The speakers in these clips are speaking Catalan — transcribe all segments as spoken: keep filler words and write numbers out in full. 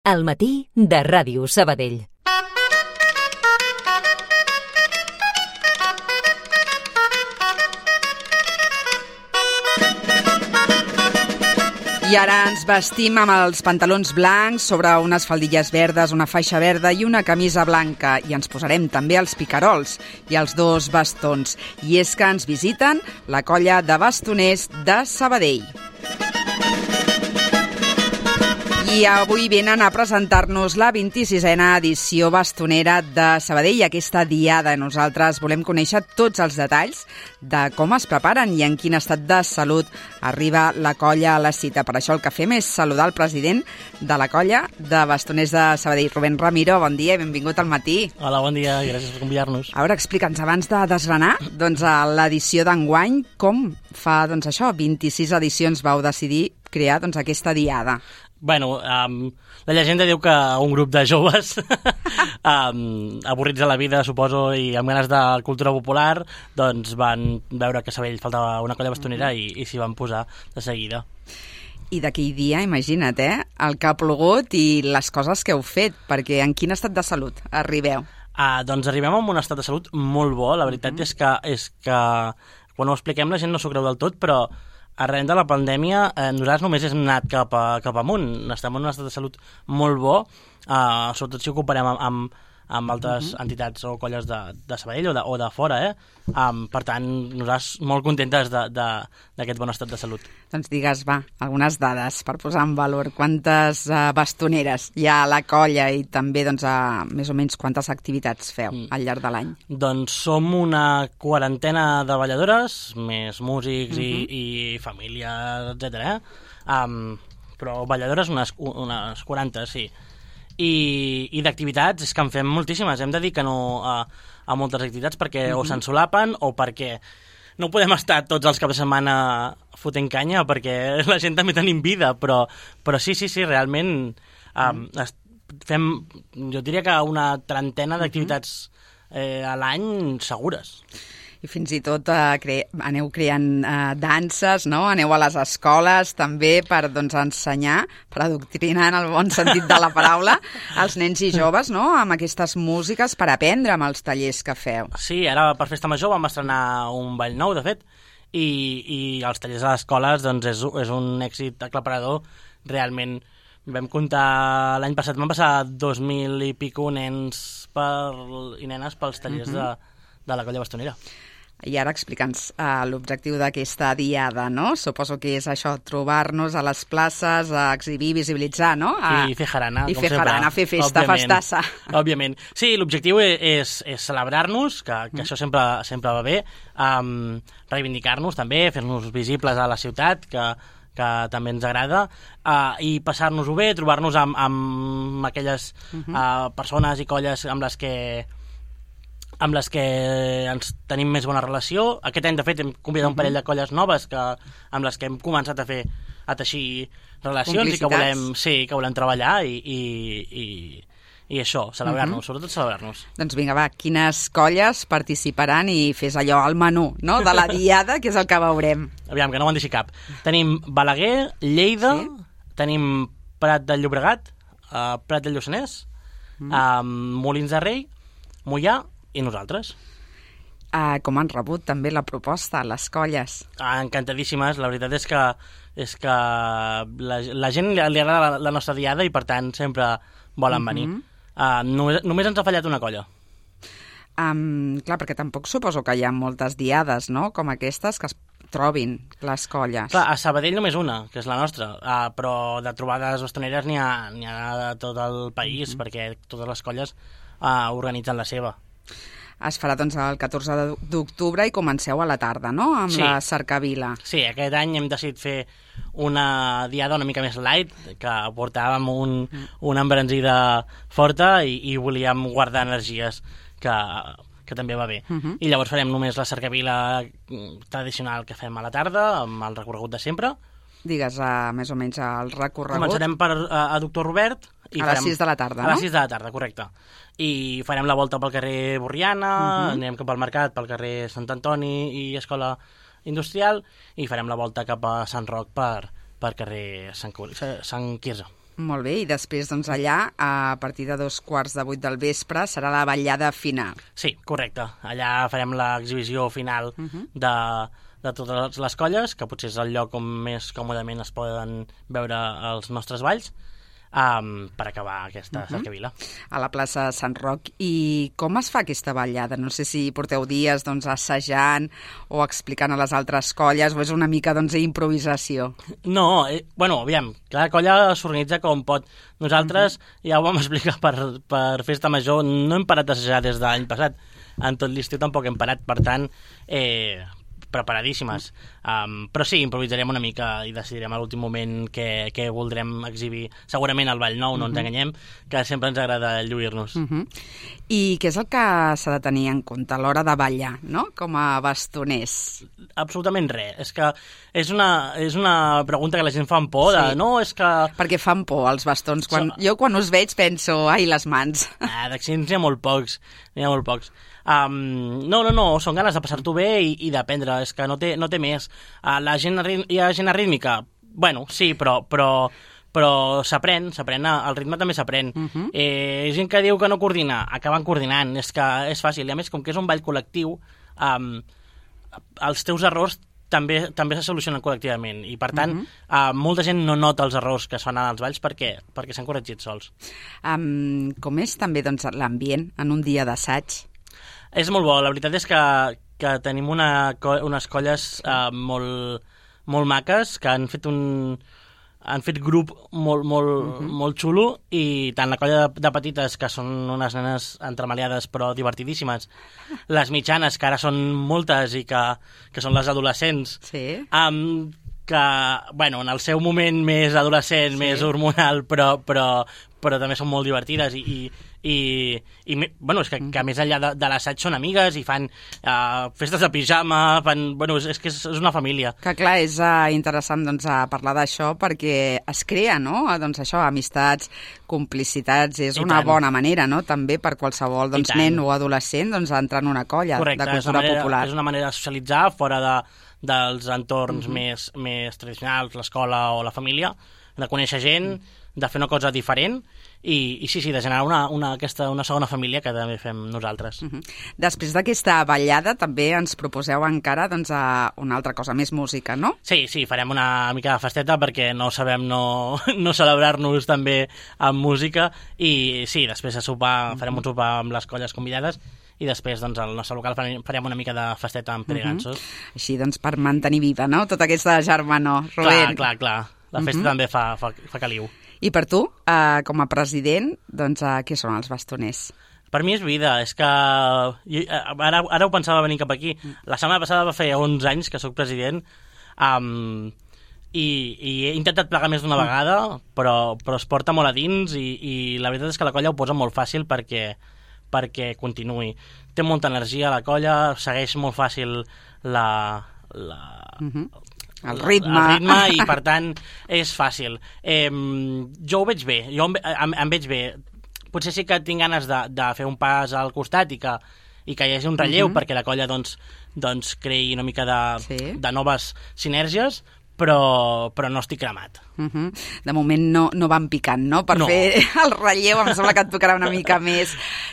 Al matí de Ràdio Sabadell. I ara ens vestim amb els pantalons blancs sobre unes faldilles verdes, una faixa verda i una camisa blanca. I ens posarem també els picarols i els dos bastons. I és que ens visiten la colla de bastoners de Sabadell. I avui venen a presentar-nos la vint-i-sisena edició bastonera de Sabadell, aquesta diada. Nosaltres volem conèixer tots els detalls de com es preparen i en quin estat de salut arriba la colla a la cita. Per això el que fem és saludar el president de la colla de bastoners de Sabadell, Rubén Ramiro. Bon dia i benvingut al matí. Hola, bon dia i gràcies per convidar-nos. A veure, explica'ns, abans de desgranar doncs, l'edició d'enguany, com fa doncs, això, vint-i-sis edicions vau decidir crear doncs, aquesta diada? Bueno, um, la llegenda diu que un grup de joves um, avorrits de la vida, suposo, i amb ganes de cultura popular, doncs van veure que a Sabadell faltava una colla bastonera i, i s'hi van posar de seguida. I d'aquell dia, imagina't, eh? El que ha plogut i les coses que heu fet, perquè en quin estat de salut arribeu? Uh, doncs arribem en un estat de salut molt bo. La veritat uh-huh. és que, és que quan ho expliquem la gent no s'ho creu del tot, però arran de la pandèmia, eh, nosaltres només hem anat cap, a, cap amunt. Estem en un estat de salut molt bo, eh, sobretot si ho comparem amb, amb, amb altres uh-huh. entitats o colles de, de Sabadell o de, o de fora. Eh? Um, per tant, nosaltres molt contentes d'aquest bon estat de salut. Doncs digues, va, algunes dades per posar en valor. Quantes uh, bastoneres hi ha a la colla i també, doncs, uh, més o menys, quantes activitats feu mm. al llarg de l'any? Doncs som una quarantena de balladores, més músics uh-huh. i, i família, etcètera. Eh? Um, però balladores unes, unes quaranta, sí. I, i d'activitats és que en fem moltíssimes. Hem de dir que no a, a moltes activitats perquè uh-huh. o s'ensolapen o perquè no podem estar tots els caps de setmana fotent canya perquè la gent també tenim vida, però, però sí, sí, sí, realment um, uh-huh. fem, jo diria que una trentena d'activitats eh, a l'any segures. I fins i tot eh, cre aneu creant eh, danses, no? Aneu a les escoles també per doncs, ensenyar, per adoctrinar en el bon sentit de la paraula, als nens i joves, no? Amb aquestes músiques per aprendre amb els tallers que feu. Sí, ara per Festa Major vam estrenar un ball nou, de fet, i, i els tallers a les escoles doncs, és, és un èxit aclaparador. Realment vam comptar, l'any passat vam passar dos mil i pico nens per, i nenes pels tallers uh-huh. de, de la colla bastonera. I ara explica'ns uh, l'objectiu d'aquesta diada, no? Suposo que és això, trobar-nos a les places, a exhibir, visibilitzar, no? A... I fer jarana, I com fer sempre. jarana, fer festa, òbviament, festassa. Òbviament. Sí, l'objectiu és, és celebrar-nos, que, que mm. això sempre, sempre va bé, um, reivindicar-nos també, fer-nos visibles a la ciutat, que, que també ens agrada, uh, i passar-nos-ho bé, trobar-nos amb, amb aquelles mm-hmm. uh, persones i colles amb les que amb les que ens tenim més bona relació. Aquest any, de fet, hem convidat uh-huh. un parell de colles noves que, amb les que hem començat a fer a teixir relacions i que volem, sí, que volem treballar i, i, i, i això, celebrar-nos, uh-huh. sobretot celebrar-nos. Doncs vinga, va, quines colles participaran i fes allò, el menú, no?, de la diada, que és el que veurem. Aviam, que no me'n deixi cap. Tenim Balaguer, Lleida, sí? Tenim Prat del Llobregat, uh, Prat del Lluçanès, uh-huh. um, Molins de Rei, Moià, i nosaltres. Uh, com han rebut també la proposta, les colles? Ah, encantadíssimes, la veritat és que, és que la, la gent li, li agrada la, la nostra diada i per tant sempre volen uh-huh. venir. Uh, només, només ens ha fallat una colla. Um, clar, perquè tampoc suposo que hi ha moltes diades, no?, com aquestes, que es trobin les colles. Clar, a Sabadell només una, que és la nostra, uh, però de trobades bastoneres n'hi ha, n'hi ha de tot el país, uh-huh. perquè totes les colles uh, organitzen la seva. Es farà doncs el catorze d'octubre i comenceu a la tarda, no?, amb sí. la cercavila. Sí, aquest any hem decidit fer una diada una mica més light, que portàvem un, mm. una embranzida forta i, i volíem guardar energies, que, que també va bé. Uh-huh. I llavors farem només la cercavila tradicional que fem a la tarda, amb el recorregut de sempre. Digues, uh, més o menys, el recorregut. Començarem per uh, a Doctor Robert. I a farem, les sis de la tarda, no? no? A les sis de la tarda, correcte. I farem la volta pel carrer Borriana, uh-huh. anirem cap al mercat, pel carrer Sant Antoni i Escola Industrial, i farem la volta cap a Sant Roc per, per carrer Sant, Sant Quirze. Molt bé, i després doncs allà, a partir de dos quarts de vuit del vespre, serà la ballada final. Sí, correcte. Allà farem l'exhibició final uh -huh. de, de totes les colles, que potser és el lloc on més còmodament es poden veure els nostres balls, Um, per acabar aquesta uh-huh. cercavila. A la plaça Sant Roc. I com es fa aquesta ballada? No sé si porteu dies doncs, assajant o explicant a les altres colles, o és una mica doncs, improvisació? No, eh, bueno, aviam, cada colla s'organitza com pot. Nosaltres, uh-huh. ja ho vam explicar per, per Festa Major, no hem parat d'assajar des de l'any passat. En tot l'estiu tampoc hem parat, per tant, eh, preparadíssimes. Um, però sí, improvisarem una mica i decidirem a l'últim moment què, què voldrem exhibir. Segurament el Ball Nou, no uh-huh. ens enganyem, que sempre ens agrada lluir-nos. Uh-huh. I què és el que s'ha de tenir en compte a l'hora de ballar, no?, com a bastoners? Absolutament res. És que és una, és una pregunta que la gent fa amb por. De, sí. no, és que... Perquè fan por els bastons. Quan, so... Jo quan us veig penso, ai, les mans. Ah, d'accidents n'hi ha molt pocs. N'hi ha molt pocs. Um, no, no, no, són ganes de passar-t'ho bé i, i d'aprendre, és que no té, no té més. Uh, la gent, hi ha gent arrítmica? Bueno, sí, però, però, però s'aprèn, s'aprèn, el ritme també s'aprèn. Uh-huh. eh, gent que diu que no coordina, acaben coordinant, és que és fàcil. I a més, com que és un ball col·lectiu, um, els teus errors també també se solucionen col·lectivament i, per tant, uh-huh. uh, molta gent no nota els errors que es fan als balls perquè, perquè s'han corregit sols. Um, com és també doncs, l'ambient en un dia d'assaig? És molt bo. La veritat és que, que tenim una, unes colles uh, molt, molt maques que han fet un han fet grup molt, molt, uh-huh. molt xulo, i tant la colla de, de petites, que són unes nenes entremaliades però divertidíssimes, les mitjanes, que ara són moltes i que, que són les adolescents, sí. um, que, bueno, en el seu moment més adolescent, sí. més hormonal, però, però, però també són molt divertides i, i, i, i bueno, és que, que a més enllà de, de l'assaig són amigues i fan uh, festes de pijama, fan, bueno, és, és que és, és una família. Que clar, és uh, interessant doncs, a parlar d'això perquè es crea, no?, doncs això, amistats, complicitats, és I una tant. bona manera, no?, també per qualsevol doncs, nen o adolescent doncs, entrar en una colla Correcte, de cultura manera, popular. És una manera de socialitzar fora de, dels entorns uh-huh. més, més tradicionals, l'escola o la família, de conèixer gent, uh-huh. de fer una cosa diferent i, i sí, sí, de generar una, una, aquesta, una segona família que també fem nosaltres. Uh-huh. Després d'aquesta ballada també ens proposeu encara doncs, a una altra cosa, més música, no? Sí, sí, farem una mica de festeta perquè no sabem no, no celebrar-nos també amb música i sí, després de sopar, uh-huh. farem un sopar amb les colles convidades i després doncs, al nostre local farem una mica de festeta amb peregansos. Uh-huh. Així doncs per mantenir viva, no?, tota aquesta germanor. Clar, clar, clar. La festa uh-huh. també fa, fa, fa caliu. I per tu, uh, com a president, doncs, uh, què són els bastoners? Per mi és vida, és que... Jo, ara, ara ho pensava venir cap aquí. La setmana passada va fer onze anys que sóc president um, i, i he intentat plegar més d'una vegada, però, però es porta molt a dins i, i la veritat és que la colla ho posa molt fàcil perquè, perquè continuï. Té molta energia la colla, segueix molt fàcil la... la uh-huh. El ritme. El ritme i, per tant, és fàcil. Eh, jo ho veig bé, jo em, em, em veig bé. Potser sí que tinc ganes de, de fer un pas al costat i que, i que hi hagi un relleu uh-huh. perquè la colla doncs, doncs, creï una mica de, sí. de noves sinergies, però, però no estic cremat. Uh-huh. De moment no, no van picant, no? Per no. fer el relleu em sembla que et tocarà una mica més.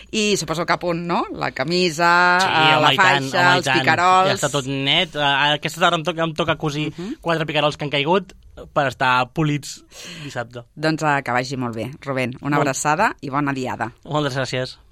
I suposo que a punt, no? La camisa, sí, home, la faixa, tant, home, els picarols... Ja està tot net. Aquesta tarda em toca, em toca cosir uh-huh. quatre picarols que han caigut per estar polits dissabte. Doncs que vagi molt bé. Rubén, una molt... abraçada i bona diada. Moltes gràcies.